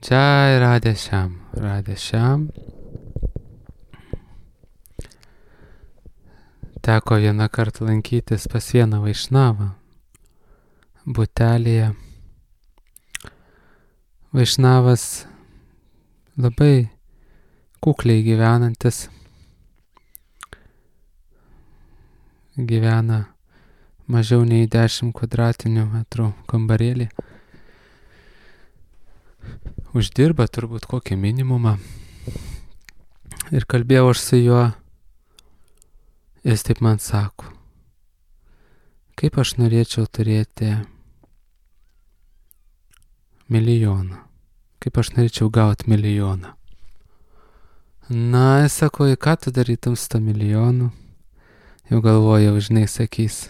Jai Radhe Shyam, Radhe Shyam. Teko vieną kartą lankytis pas vieną vaišnavą butelėje. Vaišnavas labai kukliai gyvenantis, gyvena mažiau nei 10 kvadratinių metrų kambarėlį. Uždirba turbūt kokį minimumą. Ir kalbėjau aš su juo, jis taip man sako, kaip aš norėčiau turėti milijoną, kaip aš norėčiau gauti milijoną. Na, jis sako, į ką tu darytum su tą milijonu? Jau galvojau, žinai, sakys,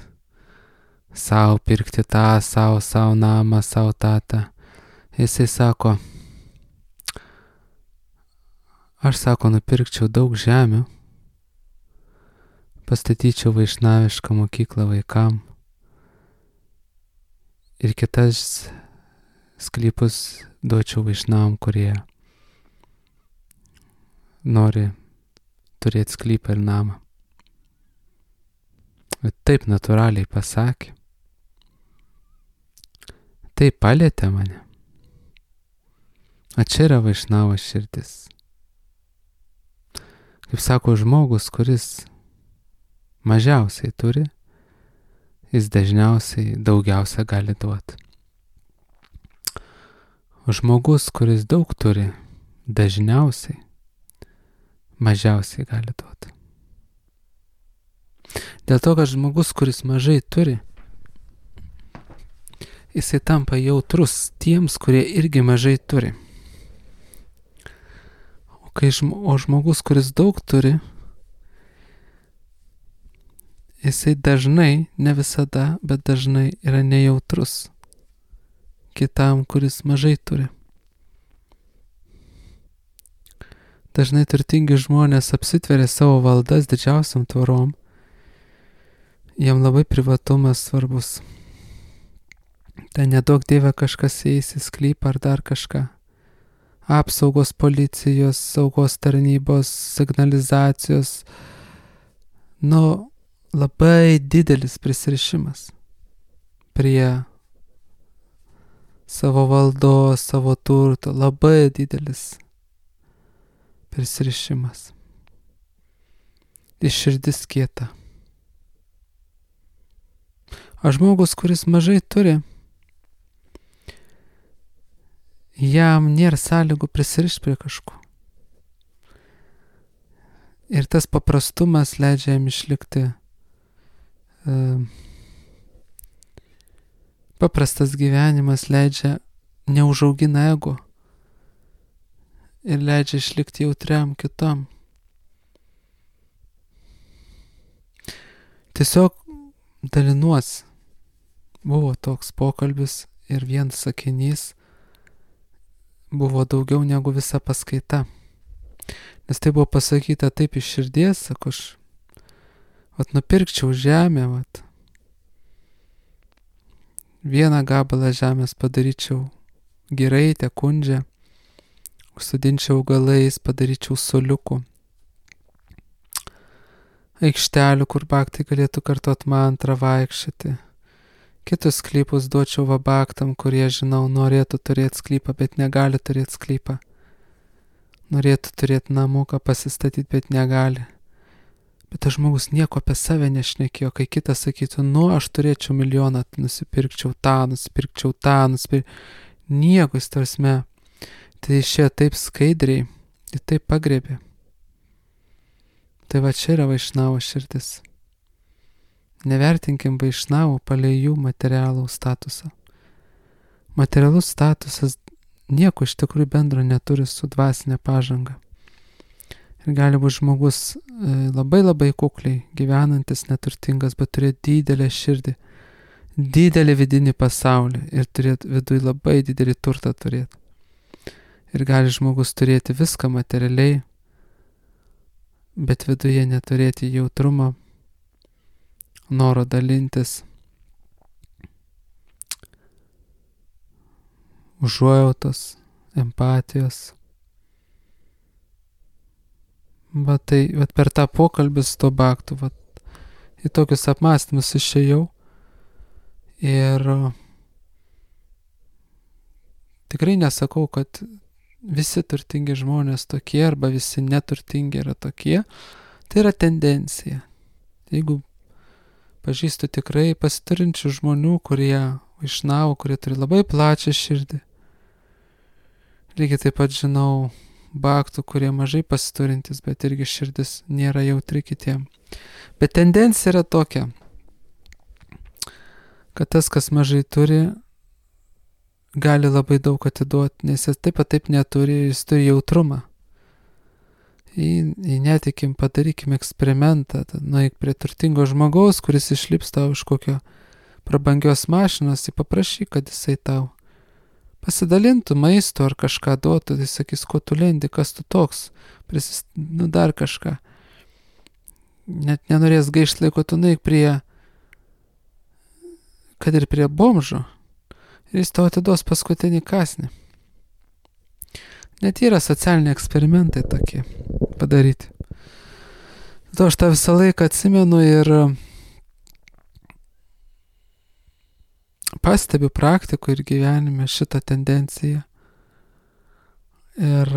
sau pirkti tą, sau namą, sau tatą. Jisai sako, aš sako, nupirkčiau daug žemių, pastatyčiau vaišnavišką mokyklą vaikam ir kitas sklypus duočiau vaišnavam, kurie nori turėti sklypą ir namą. Bet taip natūraliai pasakė. Taip palietė mane. O čia yra vaišnavo širdis. Kaip sako, žmogus, kuris mažiausiai turi, jis dažniausiai daugiausia gali duoti. O žmogus, kuris daug turi, dažniausiai mažiausiai gali duoti. Dėl to, kad žmogus, kuris mažai turi, jisai tampa jautrus tiems, kurie irgi mažai turi. O žmogus, kuris daug turi, jisai dažnai, ne visada, bet dažnai yra nejautrus kitam, kuris mažai turi. Dažnai turtingi žmonės apsitveria savo valdas didžiausiam tvorom. Jam labai privatumas svarbus. Tai nedaug dieve kažkas eis į sklypą ar dar kažką. Apsaugos policijos, saugos tarnybos, signalizacijos. Labai didelis prisirišimas prie savo valdos, savo turto. Labai didelis prisirišimas. Ir širdis kieta. O žmogus, kuris mažai turi, jam nėra sąlygų prisirišti prie kažko. Ir tas paprastumas leidžia jam išlikti. Paprastas gyvenimas leidžia, neužaugina ego ir leidžia išlikti jautriam kitam. Tiesiog dalinuosi. Buvo toks pokalbis ir vienas sakinys buvo daugiau negu visa paskaita. Nes tai buvo pasakyta taip iš širdies, sako, aš nupirkčiau žemę, vieną gabalą žemės padaryčiau giraitę, kundžią, užsodinčiau augalais, padaryčiau soliukų, aikštelių, kur baktai galėtų kartot mantrą, vaikščioti. Kitus sklypus duočiau vabaktam, kurie, žinau, norėtų turėti sklypą, bet negali turėti sklypą. Norėtų turėti namuką pasistatyti, bet negali. Bet tas žmogus nieko apie save nešnekėjo, kai kitas sakytų, aš turėčiau milijoną, nusipirkčiau tą, nieko jis tarsme. Tai išėjo taip skaidriai ir taip pagrebė. Tai va čia yra vaišnavo širdis. Nevertinkim vaišnavų palei jų materialų statusą. Materialus statusas nieko iš tikrųjų bendro neturi su dvasinė pažanga. Ir gali būti žmogus labai kukliai gyvenantis, neturtingas, bet turėti didelę širdį, didelį vidinį pasaulį ir turėti viduje labai didelį turtą turėti. Ir gali žmogus turėti viską materialiai, bet viduje neturėti jautrumo, noro dalintis, užuojautos, empatijos. Tai per tą pokalbį su to baktu, į tokius apmąstymus išėjau ir tikrai nesakau, kad visi turtingi žmonės tokie arba visi neturtingi yra tokie. Tai yra tendencija. Jeigu pažįstu tikrai pasiturinčių žmonių, kurie vaišnavų, kurie turi labai plačią širdį. Lygiai taip pat žinau baktų, kurie mažai pasiturintis, bet irgi širdis nėra jautri kitiem. Bet tendencija yra tokia, kad tas, kas mažai turi, gali labai daug atiduoti, nes jis taip neturi, jis turi jautrumą. Netikim, padarykim eksperimentą, nueik prie turtingo žmogaus, kuris išlips tau iš kokio prabangios mašinos, paprašyk, kad jisai tau pasidalintų maisto ar kažką duotų, tai sakys, ko tu lendi, kas tu toks, dar kažką. Net nenorės gaišti laiko, tu nueik kad ir prie bomžo, ir jis tau atiduos paskutinį kąsnį. Net yra socialiniai eksperimentai tokie padaryti. To aš tą visą laiką atsimenu ir pastebiu praktikų ir gyvenime šitą tendenciją. Ir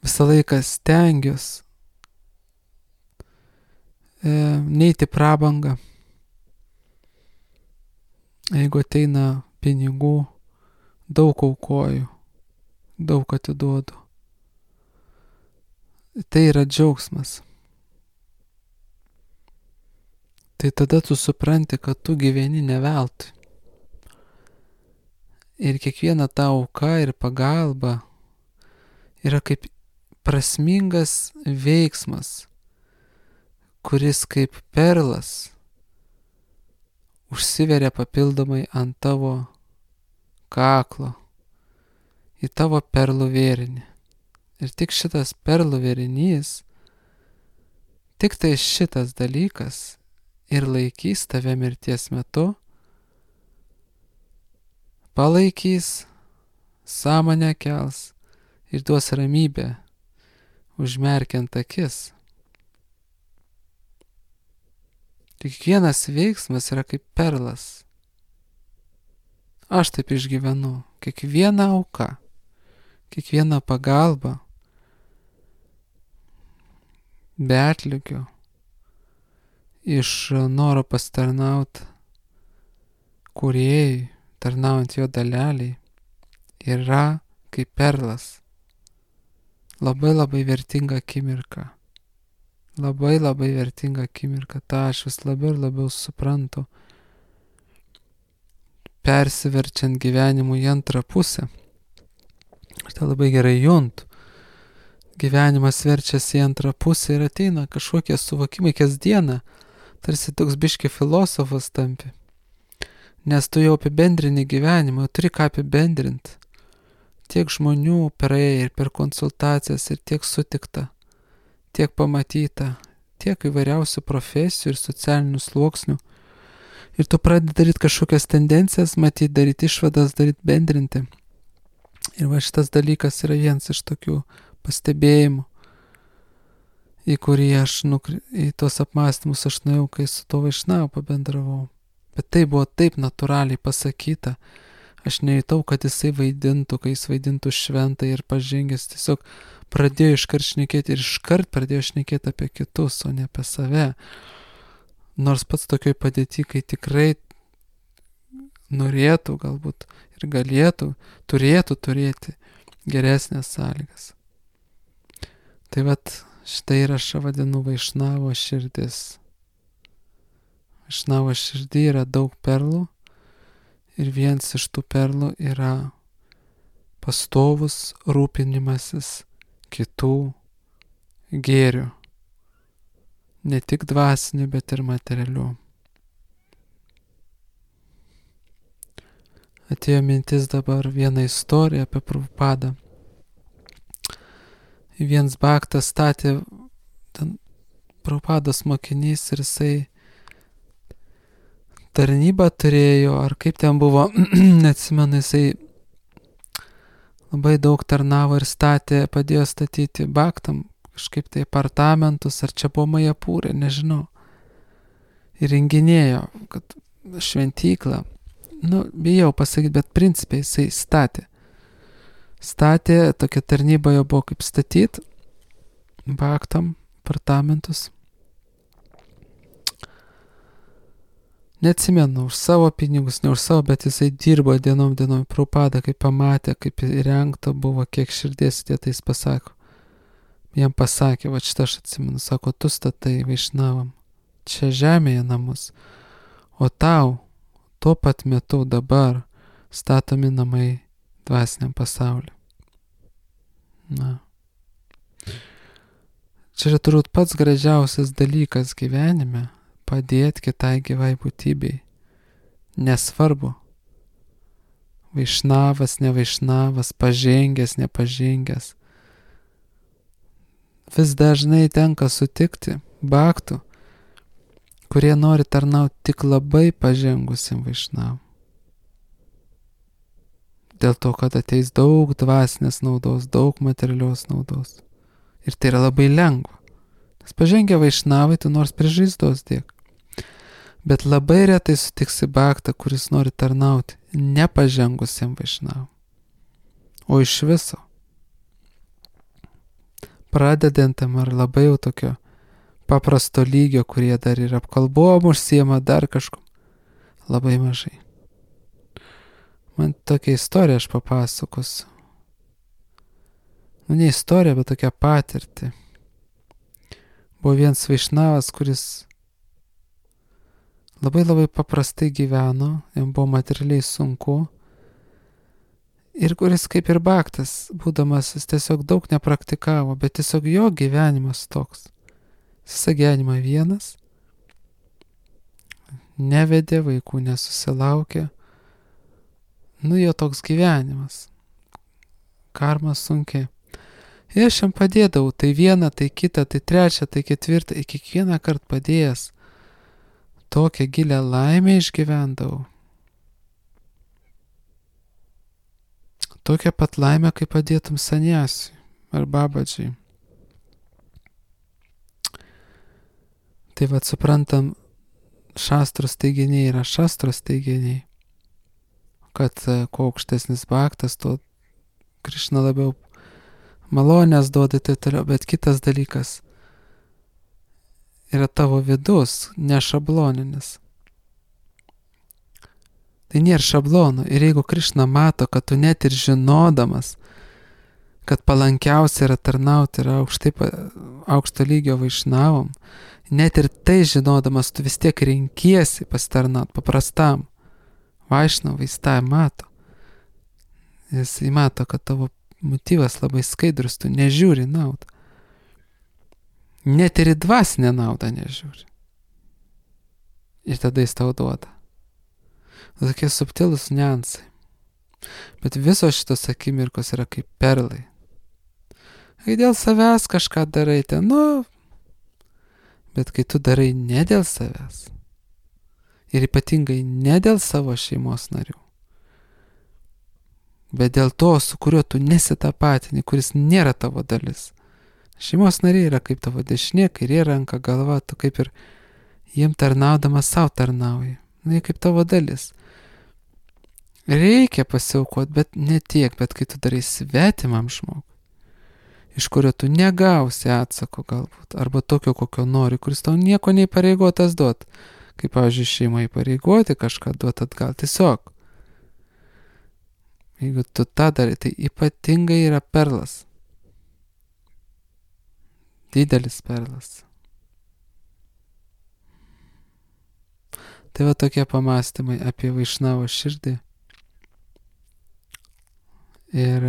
visą laiką stengiuosi neiti prabangą. Jeigu ateina pinigų, daug aukoju, daug atiduodu. Tai yra džiaugsmas. Tai tada tu supranti, kad tu gyveni ne veltui. Ir kiekviena ta auka ir pagalba yra kaip prasmingas veiksmas, kuris kaip perlas užsiveria papildomai ant tavo kaklo, į tavo perlų vėrinį. Ir tik šitas perlų vėrinys, tik tai šitas dalykas ir laikys tave mirties metu, palaikys, sąmonę kels ir duos ramybę, užmerkiant akis. Kiekvienas veiksmas yra kaip perlas. Aš taip išgyvenu. Kiekviena auka, kiekviena pagalba, be atlygio, iš noro pasitarnauti kūrėjui, tarnaujant jo daleliai, yra kaip perlas. Labai labai vertinga akimirka. Labai labai vertinga akimirka. Ta aš vis labiau ir labiau suprantu, persiverčiant gyvenimu į antrą pusę. Aš tą labai gerai juntu. Gyvenimas verčiasi į antrą pusę ir ateina kažkokie suvokimai kasdieną, tarsi toks biški filosofas tampi. Nes tu jau apibendrini gyvenimą, turi ką apibendrinti. Tiek žmonių praėjo ir per konsultacijas, ir tiek sutikta, tiek pamatyta, tiek įvairiausių profesijų ir socialinių sluoksnių. Ir tu pradedi daryti kažkokias tendencijas, matyti, daryti išvadas, daryti bendrinti. Ir va šitas dalykas yra vienas iš tokių pastebėjimų, į kurį aš į tos apmąstymus aš nuėjau, kai su to vaišnavu pabendravau. Bet tai buvo taip natūraliai pasakyta. Aš nejutau, kad jisai vaidintų, kai jis vaidintų šventą ir pažengęs. Tiesiog pradėjo iškart šnekėti ir iškart pradėjo šnekėti apie kitus, o ne apie save. Nors pats tokioj padėty, kai tikrai norėtų galbūt ir galėtų, turėtų turėti geresnės sąlygas. Tai vat šitą įrašą vadinu vaišnavo širdis. Vaišnavo širdį yra daug perlų ir vienas iš tų perlų yra pastovus rūpinimasis kitų gėrių. Ne tik dvasinių, bet ir materialių. Atėjo mintis dabar viena istorija apie Prabhupadą. Vienas bhaktas statė, ten Prabhupados mokinys ir jisai tarnybą turėjo, ar kaip ten buvo, neatsimenu, jisai labai daug tarnavo ir padėjo statyti Bhaktam kažkaip tai apartamentus, ar čia buvo Majapūrė, nežinau. Ir renginėjo, kad šventyklą, bijau pasakyti, bet principiai jisai statė, tokia tarnyba jo buvo kaip statyti Bhaktam apartamentus. Neatsimenu, už savo pinigus, ne už savo, bet jisai dirbo dienom, Prabhupada, kai pamatė, kaip įrengta buvo, kiek širdies įdėta, jis pasako. Jam pasakė, va šitą aš atsimenu, sako, tu statai Vaišnavam čia žemėje namus, o tau tuo pat metu dabar statomi namai dvasiniam pasauliu. Čia yra turbūt pats gražiausias dalykas gyvenime - padėti kitai gyvai būtybei. Nesvarbu. Vaišnavas, ne vaišnavas, pažengęs, nepažengęs. Vis dažnai tenka sutikti bhaktų, kurie nori tarnauti tik labai pažengusiam vaišnavam. Dėl to, kad ateis daug dvasinės naudos, daug materialios naudos. Ir tai yra labai lengva. Nes pažengę vaišnavai, tu nors prie žaizdos dėk. Bet labai retai sutiksi bhaktą, kuris nori tarnauti nepažengusiam vaišnavam. O iš viso. Pradedantam ar labai jau tokio paprasto lygio, kurie dar ir apkalbom užsiema dar kažkom. Labai mažai. Man tokia istorija aš papasakosiu. Ne istorija, bet tokia patirtį. Buvo vienas vaišnavas, kuris labai paprastai gyveno, jam buvo materialiai sunku. Ir kuris kaip ir bhaktas, būdamas, jis tiesiog daug nepraktikavo, bet tiesiog jo gyvenimas toks. Visą gyvenimą vienas, nevedė, vaikų nesusilaukė. Jo toks gyvenimas. Karma sunkiai. Ir aš jam padėdavau, tai vieną, tai kitą, tai trečią, tai ketvirtą, ir kiekvieną kartą padėjęs tokią gilę laimę išgyvendavau. Tokią pat laimę, kaip padėtum saniasiui ar babadžiai. Tai suprantam, šastros teiginiai yra šastros teiginiai, kad kuo aukštesnis bhaktas, tuo Krišna labiau malonės duoda taip toliau, bet kitas dalykas yra tavo vidus, ne šabloninis. Tai nėra šablonų. Ir jeigu Krišna mato, kad tu net ir žinodamas, kad palankiausia yra tarnauti yra aukšto lygio vaišnavom, net ir tai žinodamas, tu vis tiek renkiesi pasitarnaut paprastam vaišnavui, jis tą mato. Jis mato, kad tavo motyvas labai skaidrus, tu nežiūri naudą. Net ir į dvasinę naudą nežiūri. Ir tada jis tau duoda. Tokie subtilūs niuansai. Bet visos šitos akimirkos yra kaip perlai. Kai dėl savęs kažką darai, bet kai tu darai ne dėl savęs, ir ypatingai ne dėl savo šeimos narių, bet dėl to, su kuriuo tu nesitapatini, kuris nėra tavo dalis. Šeimos nariai yra kaip tavo dešinė, kairė ranka, galva, tu kaip ir jiem tarnaudamas savo tarnauji. Jie kaip tavo dalis. Reikia pasiaukoti, bet ne tiek, bet kai tu darai svetimam žmogui, iš kurio tu negausi atsako galbūt, arba tokio, kokio nori, kuris tau nieko neįpareigotas duot. Kaip, pavyzdžiui, šeima įpareigoti kažką duot atgal. Tiesiog. Jeigu tu tą darai, tai ypatingai yra perlas. Didelis perlas. Tai tokie pamastymai apie vaišnavo širdį. Ir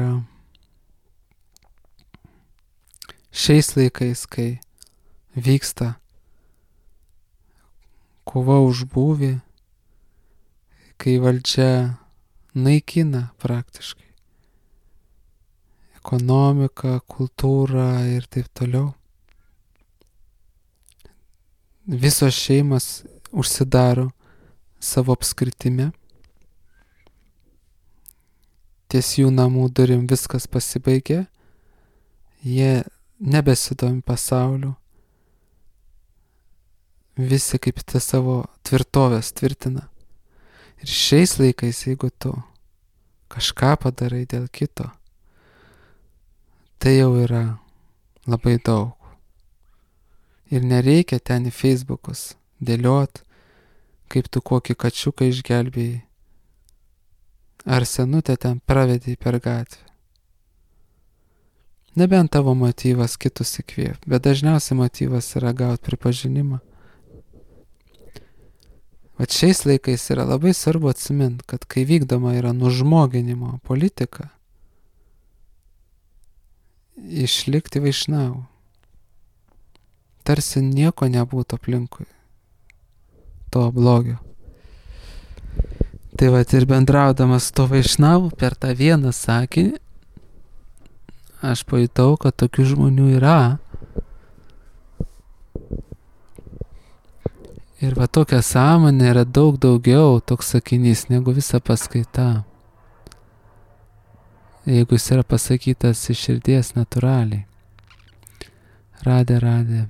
šiais laikais, kai vyksta kova už būvį, kai valdžia naikina praktiškai ekonomiką, kultūrą ir taip toliau, visos šeimos užsidaro savo apskritime. ties jų namų durim viskas pasibaigė, jie nebesidomi pasauliu, visi kaip tą savo tvirtovės tvirtina. Ir šiais laikais, jeigu tu kažką padarai dėl kito, tai jau yra labai daug. Ir nereikia ten į Facebookus dėliot, kaip tu kokį kačiuką išgelbėjai, ar senutę ten pravedei per gatvę. Nebent tavo motyvas kitus įkvėp, bet dažniausiai motyvas yra gauti pripažinimą. Vat šiais laikais yra labai svarbu atsimint, kad kai vykdoma yra nužmoginimo politika, išlikti vaišnau. Tarsi nieko nebūtų aplinkui to blogio. Tai vat ir bendraudamas to vaišnavu per tą vieną sakinį, aš pajutau, kad tokių žmonių yra. Ir va tokia sąmonė yra daug daugiau toks sakinys negu visa paskaita. Jeigu jis yra pasakytas iš širdies natūraliai. Radė.